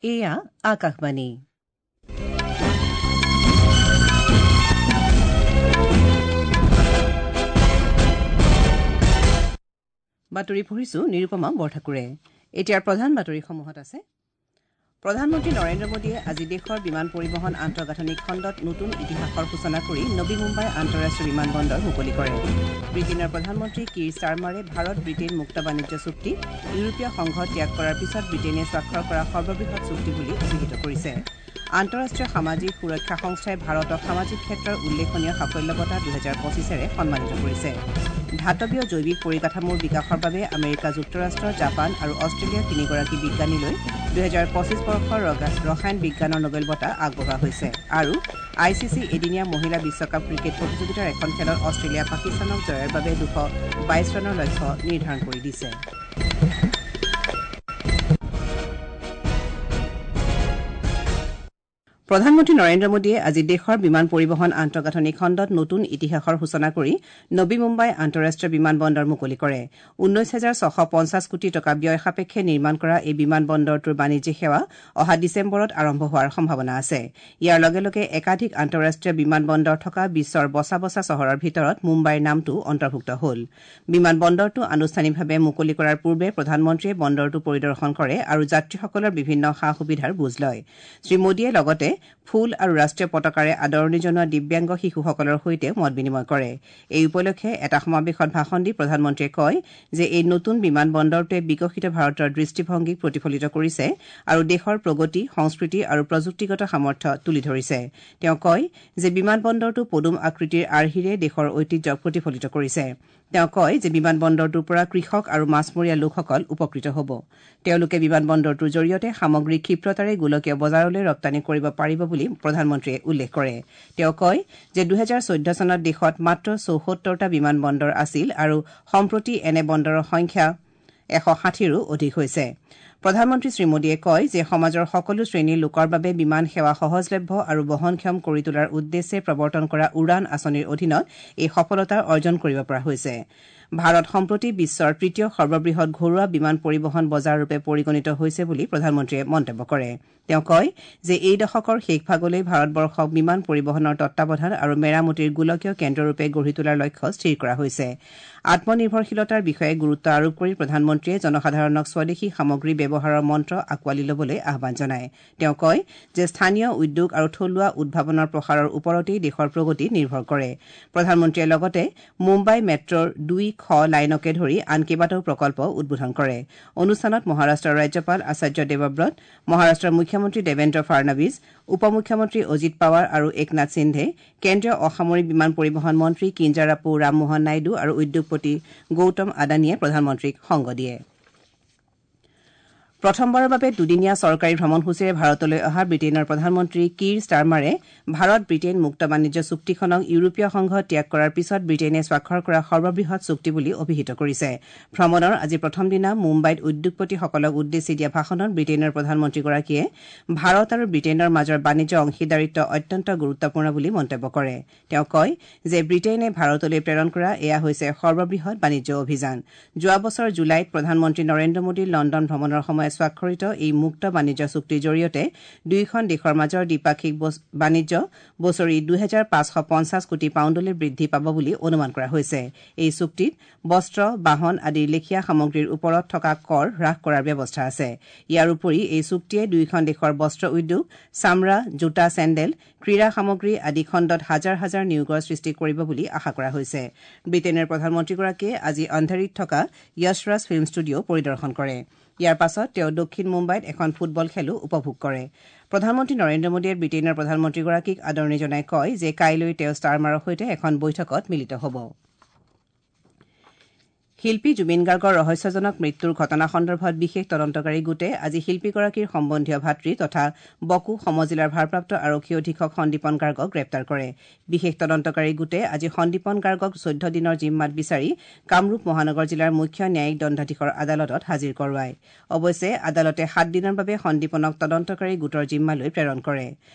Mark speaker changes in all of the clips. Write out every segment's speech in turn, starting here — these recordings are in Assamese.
Speaker 1: এয়া আকাশবাণী। বাতৰি পঢ়িছো নিৰুপমা বৰঠাকুৰে। এতিয়াৰ প্ৰধান বাতৰিসমূহত আছে: প্ৰধানমন্ত্ৰী নৰেন্দ্ৰ মোদীয়ে আজি দেশৰ বিমান পৰিবহণ আন্তঃগাঁথনি খণ্ডত নতুন ইতিহাসৰ সূচনা কৰি নবী মুম্বাই আন্তঃৰাষ্ট্ৰীয় বিমান বন্দৰ মুকলি কৰে। ব্ৰিটেইনৰ প্ৰধানমন্ত্ৰী কীৰ ষ্টাৰমাৰে ভাৰত ব্ৰিটেইন মুক্ত বাণিজ্য চুক্তি ইউৰোপীয় সংঘ ত্যাগ কৰাৰ পিছত ব্ৰিটেইনে স্বাক্ষৰ কৰা সৰ্ববৃহৎ চুক্তি বুলি অভিহিত কৰিছে। আন্তঃৰাষ্ট্ৰীয় সামাজিক সুৰক্ষা সংস্থাই ভাৰতক সামাজিক ক্ষেত্ৰৰ উল্লেখনীয় সাফল্য বঁটা 2025ৰে সন্মানিত কৰিছে। ধাতৱীয় জৈৱিক পৰিকাঠামোৰ বিকাশৰ বাবে আমেৰিকা যুক্তৰাষ্ট্ৰ, জাপান আৰু অষ্ট্ৰেলিয়াৰ তিনিগৰাকী বিজ্ঞানীলৈ 2025 বৰ্ষৰ ৰসায়ন বিজ্ঞানৰ নোবেল বঁটা আগবঢ়োৱা হৈছে। আৰু I C C এদিনীয়া মহিলা বিশ্বকাপ ক্ৰিকেট প্ৰতিযোগিতাৰ এখন খেলত অষ্ট্ৰেলিয়া পাকিস্তানক জয়ৰ বাবে 222 ৰানৰ লক্ষ্য নিৰ্ধাৰণ কৰি দিছে। প্ৰধানমন্ত্ৰী নৰেন্দ্ৰ মোদীয়ে আজি দেশৰ বিমান পৰিবহণ আন্তঃগাঁথনি খণ্ডত নতুন ইতিহাসৰ সূচনা কৰি নবী মুম্বাই আন্তঃৰাষ্ট্ৰীয় বিমান বন্দৰ মুকলি কৰে। 19,650 কোটি টকা ব্যয় সাপেক্ষে নিৰ্মাণ কৰা এই বিমান বন্দৰটোৰ বাণিজ্যিক সেৱা অহা ডিচেম্বৰত আৰম্ভ হোৱাৰ সম্ভাৱনা আছে। ইয়াৰ লগে লগে একাধিক আন্তঃৰাষ্ট্ৰীয় বিমান বন্দৰ থকা বিশ্বৰ বচা বচা চহৰৰ ভিতৰত মুম্বাইৰ নামটো অন্তৰ্ভুক্ত হ'ল। বিমান বন্দৰটো আনুষ্ঠানিকভাৱে মুকলি কৰাৰ পূৰ্বে প্ৰধানমন্ত্ৰীয়ে বন্দৰটো পৰিদৰ্শন কৰে আৰু যাত্ৰীসকলৰ বিভিন্ন সা সুবিধাৰ বুজ লয়। শ্ৰীমোদীয়ে লগতে ফুল আৰু ৰাষ্ট্ৰীয় পতাকাৰে আদৰণি জনোৱা দিব্যাংগ শিশুসকলৰ সৈতে মত বিনিময় কৰে। এই উপলক্ষে এটা সমাৱেশত ভাষণ দি প্ৰধানমন্ত্ৰীয়ে কয় যে এই নতুন বিমান বন্দৰটোৱে বিকশিত ভাৰতৰ দৃষ্টিভংগীক প্ৰতিফলিত কৰিছে আৰু দেশৰ প্ৰগতি, সংস্কৃতি আৰু প্ৰযুক্তিগত সামৰ্থ্য তুলি ধৰিছে। তেওঁ কয় যে বিমান বন্দৰটো পদুম আকৃতিৰ আৰ্হিৰে দেশৰ ঐতিহ্যক প্ৰতিফলিত কৰিছে। তেওঁ কয় যে বিমান বন্দৰটোৰ পৰা কৃষক আৰু মাছমৰীয়া লোকসকল উপকৃত হ'ব। তেওঁলোকে বিমান বন্দৰটোৰ জৰিয়তে সামগ্ৰী ক্ষিপ্ৰতাৰে গোলকীয় বজাৰলৈ ৰপ্তানি কৰিব পাৰিব বুলি প্ৰধানমন্ত্ৰীয়ে উল্লেখ কৰে। তেওঁ কয় যে 2014 চনত দেশত মাত্ৰ 74টা বিমান বন্দৰ আছিল আৰু সম্প্ৰতি এনে বন্দৰৰ সংখ্যা 160ৰো অধিক হৈছে। প্ৰধানমন্ত্ৰী শ্ৰীমোদীয়ে কয় যে সমাজৰ সকলো শ্ৰেণীৰ লোকৰ বাবে বিমান সেৱা সহজলভ্য আৰু বহনক্ষম কৰি তোলাৰ উদ্দেশ্যে প্ৰৱৰ্তন কৰা উড়ান আঁচনিৰ অধীনত এই সফলতা অৰ্জন কৰিব পৰা হৈছে। ভাৰত সম্প্ৰতি বিশ্বৰ তৃতীয় সৰ্ববৃহৎ ঘৰুৱা বিমান পৰিবহণ বজাৰ ৰূপে পৰিগণিত হৈছে বুলি প্ৰধানমন্ত্ৰীয়ে মন্তব্য কৰে। তেওঁ কয় যে এই দশকৰ শেষভাগলৈ ভাৰতবৰ্ষক বিমান পৰিবহণৰ তত্বাৱধান আৰু মেৰামতিৰ গোলকীয় কেন্দ্ৰৰূপে গঢ়ি তোলাৰ লক্ষ্য স্থিৰ কৰা হৈছে। আত্মনিৰ্ভৰশীলতাৰ বিষয়ে গুৰুত্ব আৰোপ কৰি প্ৰধানমন্ত্ৰীয়ে জনসাধাৰণক স্বদেশী সামগ্ৰী ব্যৱহাৰৰ মন্ত্ৰ আঁকোৱালি ল'বলৈ আহ্বান জনায়। তেওঁ কয় যে স্থানীয় উদ্যোগ আৰু থলুৱা উদ্ভাৱনৰ প্ৰসাৰৰ ওপৰতেই দেশৰ প্ৰগতি নিৰ্ভৰ কৰে। প্ৰধানমন্ত্ৰীয়ে লগতে মুম্বাই মেট্ৰ'ৰ 2 খ লাইনকে ধৰি আন কেইবাটাও প্ৰকল্প উদ্বোধন কৰে। অনুষ্ঠানত মহাৰাষ্ট্ৰৰ ৰাজ্যপাল আচাৰ্য দেৱব্ৰত, মহাৰাষ্ট্ৰৰ মুখ্যমন্ত্ৰী দেৱেন্দ্ৰ ফাড়নাৱিজ, উপ মুখ্যমন্ত্ৰী অজিত পাৱাৰ আৰু একনাথ সিন্ধে, কেন্দ্ৰীয় অসামৰিক বিমান পৰিবহণ মন্ত্ৰী কিঞ্জাৰাপু ৰামমোহন নাইডু আৰু উদ্যোগপতি গৌতম আদানীয়ে প্ৰধানমন্ত্ৰীক সংগ দিয়ে। প্ৰথমবাৰৰ বাবে দুদিনীয়া চৰকাৰী ভ্ৰমণসূচীৰে ভাৰতলৈ অহা ব্ৰিটেইনৰ প্ৰধানমন্ত্ৰী কীৰ ষ্টাৰমাৰে ভাৰত ব্ৰিটেইন মুক্ত বাণিজ্য চুক্তিখনক ইউৰোপীয় সংঘ ত্যাগ কৰাৰ পিছত ব্ৰিটেইনে স্বাক্ষৰ কৰা সৰ্ববৃহৎ চুক্তি বুলি অভিহিত কৰিছে। ভ্ৰমণৰ আজি প্ৰথম দিনা মুম্বাইত উদ্যোগপতিসকলক উদ্দেশ্যি দিয়া ভাষণত ব্ৰিটেইনৰ প্ৰধানমন্ত্ৰীগৰাকীয়ে ভাৰত আৰু ব্ৰিটেইনৰ মাজৰ বাণিজ্য অংশীদাৰিত্ব অত্যন্ত গুৰুত্বপূৰ্ণ বুলি মন্তব্য কৰে। তেওঁ কয় যে ব্ৰিটেইনে ভাৰতলৈ প্ৰেৰণ কৰা এয়া হৈছে সৰ্ববৃহৎ বাণিজ্য অভিযান। যোৱা বছৰ জুলাইত প্ৰধানমন্ত্ৰী নৰেন্দ্ৰ মোদীৰ লণ্ডন ভ্ৰমণৰ সময়ত স্বাক্ষৰিত এই মুক্ত বাণিজ্য চুক্তিৰ জৰিয়তে দুয়োখন দেশৰ মাজৰ দ্বিপাক্ষিক বাণিজ্য বছৰি 2,550 কোটি পাউণ্ডলৈ বৃদ্ধি পাব বুলি অনুমান কৰা হৈছে। এই চুক্তিত বস্ত্ৰ, বাহন আদিৰ লেখীয়া সামগ্ৰীৰ ওপৰত থকা কৰ হ্ৰাস কৰাৰ ব্যৱস্থা আছে। ইয়াৰ উপৰি এই চুক্তিয়ে দুয়োখন দেশৰ বস্ত্ৰ উদ্যোগ, চামৰা, জোতা, চেণ্ডেল, ক্ৰীড়া সামগ্ৰী আদি খণ্ডত হাজাৰ হাজাৰ নিয়োগৰ সৃষ্টি কৰিব বুলি আশা কৰা হৈছে। ব্ৰিটেইনৰ প্ৰধানমন্ত্ৰীগৰাকীয়ে আজি অন্ধেৰীত থকা য়শৰাজ ফিল্ম ষ্টুডিঅ' পৰিদৰ্শন কৰে। ইয়াৰ পাছত তেওঁ দক্ষিণ মুম্বাইত এখন ফুটবল খেলো উপভোগ কৰে। প্ৰধানমন্ত্ৰী নৰেন্দ্ৰ মোদীয়ে ব্ৰিটেইনৰ প্ৰধানমন্ত্ৰীগৰাকীক আদৰণি জনাই কয় যে কাইলৈ তেওঁ ষ্টাৰমাৰৰ সৈতে এখন বৈঠকত মিলিত হ'ব। শিল্পী জুবিন গাৰ্গৰ ৰহস্যজনক মৃত্যুৰ ঘটনা সন্দৰ্ভত বিশেষ তদন্তকাৰী গোটে আজি শিল্পীগৰাকীৰ সম্বন্ধীয় ভাতৃ তথা বকো সমজিলাৰ ভাৰপ্ৰাপ্ত আৰক্ষী অধীক্ষক সন্দীপন গাৰ্গক গ্ৰেপ্তাৰ কৰে। বিশেষ তদন্তকাৰী গোটে আজি সন্দীপন গাৰ্গক 14 দিনৰ জিম্মাত বিচাৰি কামৰূপ মহানগৰ জিলাৰ মুখ্য ন্যায়িক দণ্ডাধীশৰ আদালতত হাজিৰ কৰোৱায়। অৱশ্যে আদালতে 7 দিনৰ বাবে সন্দীপনক তদন্তকাৰী গোটৰ জিম্মালৈ প্ৰেৰণ কৰে।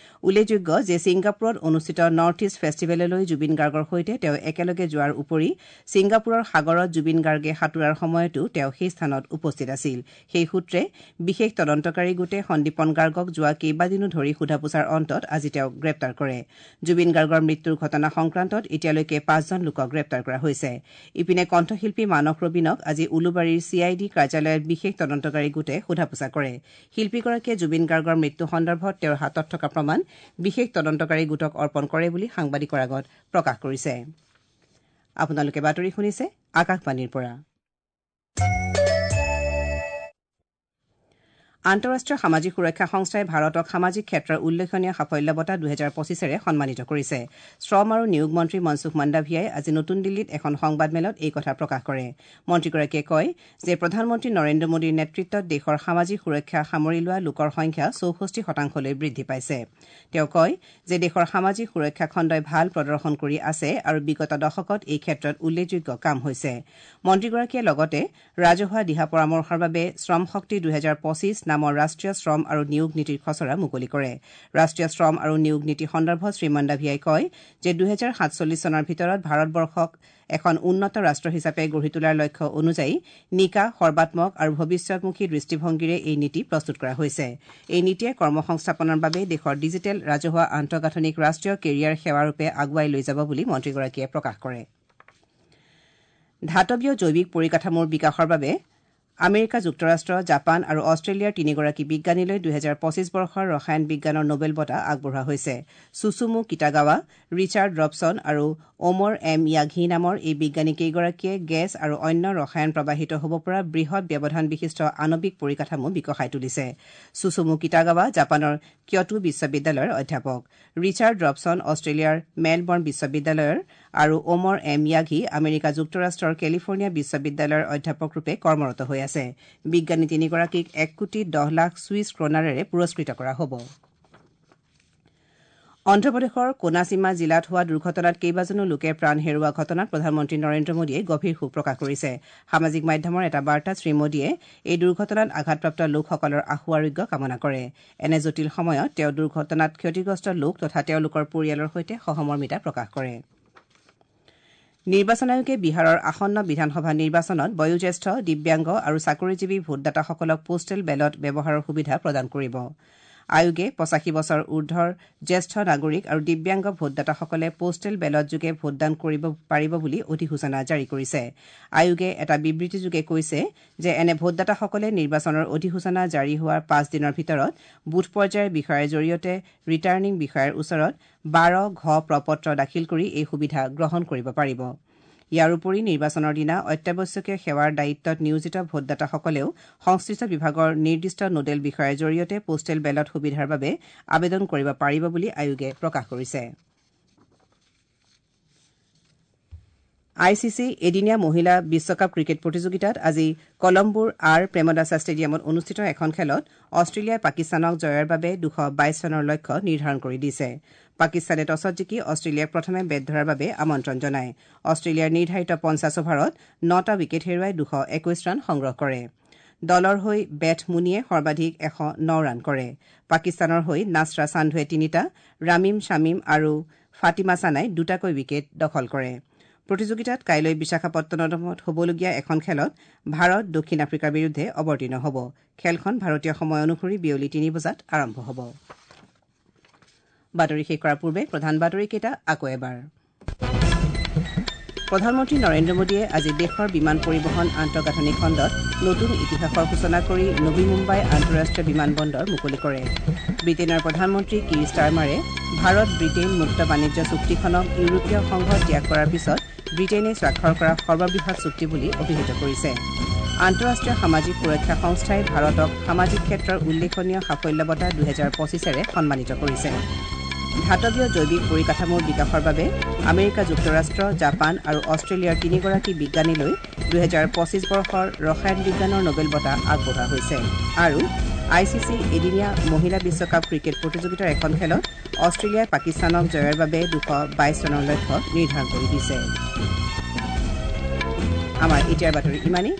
Speaker 1: উল্লেখযোগ্য যে ছিংগাপুৰত অনুষ্ঠিত নৰ্থ ইষ্ট ফেষ্টিভেললৈ জুবিন গাৰ্গৰ সৈতে তেওঁ একেলগে যোৱাৰ উপৰি ছিংগাপুৰৰ সাগৰত জুবিন গাৰ্গে সাঁতোৰাৰ সময়তো তেওঁ সেই স্থানত উপস্থিত আছিল। সেই সূত্ৰে বিশেষ তদন্তকাৰী গোটে সন্দীপন গাৰ্গক যোৱা কেইবাদিনো ধৰি সোধা পোছাৰ অন্তত আজি তেওঁক গ্ৰেপ্তাৰ কৰে। জুবিন গাৰ্গৰ মৃত্যুৰ ঘটনা সংক্ৰান্তত এতিয়ালৈকে 5জন লোকক গ্ৰেপ্তাৰ কৰা হৈছে। ইপিনে কণ্ঠশিল্পী মানস ৰবীনক আজি উলুবাৰীৰ চি I D কাৰ্যালয়ত বিশেষ তদন্তকাৰী গোটে সোধা পোছা কৰে। শিল্পীগৰাকীয়ে জুবিন গাৰ্গৰ মৃত্যু সন্দৰ্ভত তেওঁৰ হাতত থকা প্ৰমাণ বিশেষ তদন্তকাৰী গোটক অৰ্পণ কৰে বুলি সাংবাদিকৰ আগত প্ৰকাশ কৰিছে। আপোনালোকে বাতৰি শুনিছে আকাশবাণীৰ পৰা। আন্তঃৰাষ্ট্ৰীয় সামাজিক সুৰক্ষা সংস্থাই ভাৰতক সামাজিক ক্ষেত্ৰৰ উল্লেখনীয় সাফল্য বঁটা 2025-ৰে সন্মানিত কৰিছে। শ্ৰম আৰু নিয়োগ মন্ত্ৰী মনসুখ মাণ্ডাভিয়াই আজি নতুন দিল্লীত এখন সংবাদমেলত এই কথা প্ৰকাশ কৰে। মন্ত্ৰীগৰাকীয়ে কয় যে প্ৰধানমন্ত্ৰী নৰেন্দ্ৰ মোদীৰ নেতৃত্বত দেশৰ সামাজিক সুৰক্ষা সামৰি লোৱা লোকৰ সংখ্যা 64% বৃদ্ধি পাইছে। তেওঁ কয় যে দেশৰ সামাজিক সুৰক্ষা খণ্ডই ভাল প্ৰদৰ্শন কৰি আছে আৰু বিগত দশকত এই ক্ষেত্ৰত উল্লেখযোগ্য কাম হৈছে। মন্ত্ৰীগৰাকীয়ে লগতে ৰাজহুৱা দিহা পৰামৰ্শৰ বাবে শ্ৰম শক্তি 2025 নামৰ ৰাষ্ট্ৰীয় শ্ৰম আৰু নিয়োগ নীতিৰ খচৰা মুকলি কৰে। ৰাষ্ট্ৰীয় শ্ৰম আৰু নিয়োগ নীতি সন্দৰ্ভত শ্ৰীমাণ্ডাভিয়াই কয় যে 2047 চনৰ ভিতৰত ভাৰতবৰ্ষক এখন উন্নত ৰাষ্ট্ৰ হিচাপে গঢ়ি তোলাৰ লক্ষ্য অনুযায়ী নিকা, সৰ্বাত্মক আৰু ভৱিষ্যতমুখী দৃষ্টিভংগীৰে এই নীতি প্ৰস্তুত কৰা হৈছে। এই নীতিয়ে কৰ্মসংস্থাপনৰ বাবে দেশৰ ডিজিটেল ৰাজহুৱা আন্তঃগাঁথনিক ৰাষ্ট্ৰীয় কেৰিয়াৰ সেৱাৰূপে আগুৱাই লৈ যাব বুলি মন্ত্ৰীগৰাকীয়ে প্ৰকাশ কৰে। ধাতৱীয় জৈৱিক পৰিকাঠামোৰ বিকাশৰ বাবে আমেৰিকা যুক্তৰাষ্ট্ৰ, জাপান আৰু অষ্ট্ৰেলিয়াৰ তিনিগৰাকী বিজ্ঞানীলৈ 2025 বৰ্ষৰ ৰসায়ন বিজ্ঞানৰ নোবেল বঁটা আগবঢ়োৱা হৈছে। চুচুমু কিটাগাৱা, ৰিচাৰ্ড ৰবছন আৰু ওমৰ এম য়াঘি নামৰ এই বিজ্ঞানীকেইগৰাকীয়ে গেছ আৰু অন্য ৰসায়ন প্ৰবাহিত হ'ব পৰা বৃহৎ ব্যৱধান বিশিষ্ট আণৱিক পৰিকাঠামো বিকশাই তুলিছে। চুচুমু কিটাগাৱা জাপানৰ কিয়টো বিশ্ববিদ্যালয়ৰ অধ্যাপক, ৰিচাৰ্ড ৰবছন অষ্ট্ৰেলিয়াৰ মেলবৰ্ণ বিশ্ববিদ্যালয়ৰ আৰু ওমৰ এম য়াঘি আমেৰিকা যুক্তৰাষ্ট্ৰৰ কেলিফৰ্ণিয়া বিশ্ববিদ্যালয়ৰ অধ্যাপকৰূপে কৰ্মৰত হৈ আছে। বিজ্ঞানী তিনিগৰাকীক 1,10,00,000 ছুইচ ক্ৰনাৰেৰে পুৰস্কৃত কৰা হ'ব। অন্ধ্ৰপ্ৰদেশৰ কোনাসীমা জিলাত হোৱা দুৰ্ঘটনাত কেইবাজনো লোকে প্ৰাণ হেৰুওৱা ঘটনাত প্ৰধানমন্ত্ৰী নৰেন্দ্ৰ মোদীয়ে গভীৰ শোক প্ৰকাশ কৰিছে। সামাজিক মাধ্যমৰ এটা বাৰ্তাত শ্ৰীমোদীয়ে এই দুৰ্ঘটনাত আঘাতপ্ৰাপ্ত লোকসকলৰ আশু আৰোগ্য কামনা কৰে। এনে জটিল সময়ত তেওঁ দুৰ্ঘটনাত ক্ষতিগ্ৰস্ত লোক তথা তেওঁলোকৰ পৰিয়ালৰ সৈতে সহমৰ্মিতা প্ৰকাশ কৰে। নিৰ্বাচন আয়োগে বিহাৰৰ আসন্ন বিধানসভা নিৰ্বাচনত বয়োজ্যেষ্ঠ, দিব্যাংগ আৰু চাকৰিজীৱী ভোটদাতাসকলক পোষ্টেল বেলট ব্যৱহাৰৰ সুবিধা প্ৰদান কৰিব। আয়োগে 85 বছৰ ঊৰ্ধৰ জ্যেষ্ঠ নাগৰিক আৰু দিব্যাংগ ভোটদাতাসকলে পোষ্টেল বেলটযোগে ভোটদান কৰিব পাৰিব বুলি অধিসূচনা জাৰি কৰিছে। আয়োগে এটা বিবৃতিযোগে কৈছে যে এনে ভোটদাতাসকলে নিৰ্বাচনৰ অধিসূচনা জাৰি হোৱাৰ 5 দিনৰ ভিতৰত বুথ পৰ্যায়ৰ বিষয়াৰ জৰিয়তে ৰিটাৰ্ণিং বিষয়াৰ ওচৰত 12 ঘ প্ৰপত্ৰ দাখিল কৰি এই সুবিধা গ্ৰহণ কৰিব পাৰিব। ইয়াৰ উপৰি নিৰ্বাচনৰ দিনা অত্যাৱশ্যকীয় সেৱাৰ দায়িত্বত নিয়োজিত ভোটদাতাসকলেও সংশ্লিষ্ট বিভাগৰ নিৰ্দিষ্ট নোডেল বিষয়াৰ জৰিয়তে পোষ্টেল বেলট সুবিধাৰ বাবে আবেদন কৰিব পাৰিব বুলি আয়োগে প্ৰকাশ কৰিছে। I C C এদিনীয়া মহিলা বিশ্বকাপ ক্ৰিকেট প্ৰতিযোগিতাত আজি কলম্বোৰ আৰ প্ৰেমদাসা ষ্টেডিয়ামত অনুষ্ঠিত এখন খেলত অষ্ট্ৰেলিয়াই পাকিস্তানক জয়ৰ বাবে 222 ৰানৰ লক্ষ্য নিৰ্ধাৰণ কৰি দিছে। পাকিস্তানে টছত জিকি অষ্ট্ৰেলিয়াক প্ৰথমে বেট ধৰাৰ বাবে আমন্ত্ৰণ জনায়। অষ্ট্ৰেলিয়াৰ নিৰ্ধাৰিত 50 অভাৰত 9টা উইকেট হেৰুৱাই 221 ৰান সংগ্ৰহ কৰে। দলৰ হৈ বেথ মুনিয়ে সৰ্বাধিক 109 ৰান কৰে। পাকিস্তানৰ হৈ নাছৰা চান্ধুৱে 3টা, ৰামিম শামিম আৰু ফাতিমা চানাই 2টাকৈ উইকেট দখল কৰে। প্ৰতিযোগিতাত কাইলৈ বিশাখাপট্টনমত হ'বলগীয়া এখন খেলত ভাৰত দক্ষিণ আফ্ৰিকাৰ বিৰুদ্ধে অৱতীৰ্ণ হ'ব। খেলখন ভাৰতীয় সময় অনুসৰি বিয়লি 3 বজাত আৰম্ভ হ'ব। বাতৰি শেষ কৰাৰ পূৰ্বে প্ৰধান বাতৰিকেইটা আকৌ এবাৰ। প্ৰধানমন্ত্ৰী নৰেন্দ্ৰ মোদীয়ে আজি দেশৰ বিমান পৰিবহণ আন্তঃগাঁথনি খণ্ডত নতুন ইতিহাসৰ সূচনা কৰি নবী মুম্বাই আন্তঃৰাষ্ট্ৰীয় বিমান বন্দৰ মুকলি কৰে। ব্ৰিটেইনৰ প্ৰধানমন্ত্ৰী কিৰ ষ্টাৰমাৰে ভাৰত ব্ৰিটেইন মুক্ত বাণিজ্য চুক্তিখনক ইউৰোপীয় সংঘ ত্যাগ কৰাৰ পিছত ব্ৰিটেইনে স্বাক্ষৰ কৰা সৰ্ববৃহৎ চুক্তি বুলি অভিহিত কৰিছে। আন্তঃৰাষ্ট্ৰীয় সামাজিক সুৰক্ষা সংস্থাই ভাৰতক সামাজিক ক্ষেত্ৰৰ উল্লেখনীয় সাফল্য বঁটা 2025-ৰে সন্মানিত কৰিছে। ধাতৱীয় জৈৱিক পৰিকাঠামোৰ বিকাশৰ বাবে আমেৰিকা যুক্তৰাষ্ট্ৰ, জাপান আৰু অষ্ট্ৰেলিয়াৰ তিনিগৰাকী বিজ্ঞানীলৈ 2025 বৰ্ষৰ ৰসায়ন বিজ্ঞানৰ নোবেল বঁটা আগবঢ়োৱা হৈছে। আৰু I C C এদিনীয়া মহিলা বিশ্বকাপ ক্ৰিকেট প্ৰতিযোগিতাৰ এখন খেলত অষ্ট্ৰেলিয়াই পাকিস্তানক জয়ৰ বাবে 222 ৰানৰ লক্ষ্য নিৰ্ধাৰণ কৰি দিছে। আমাৰ এতিয়াৰ বাতৰি ইমানেই।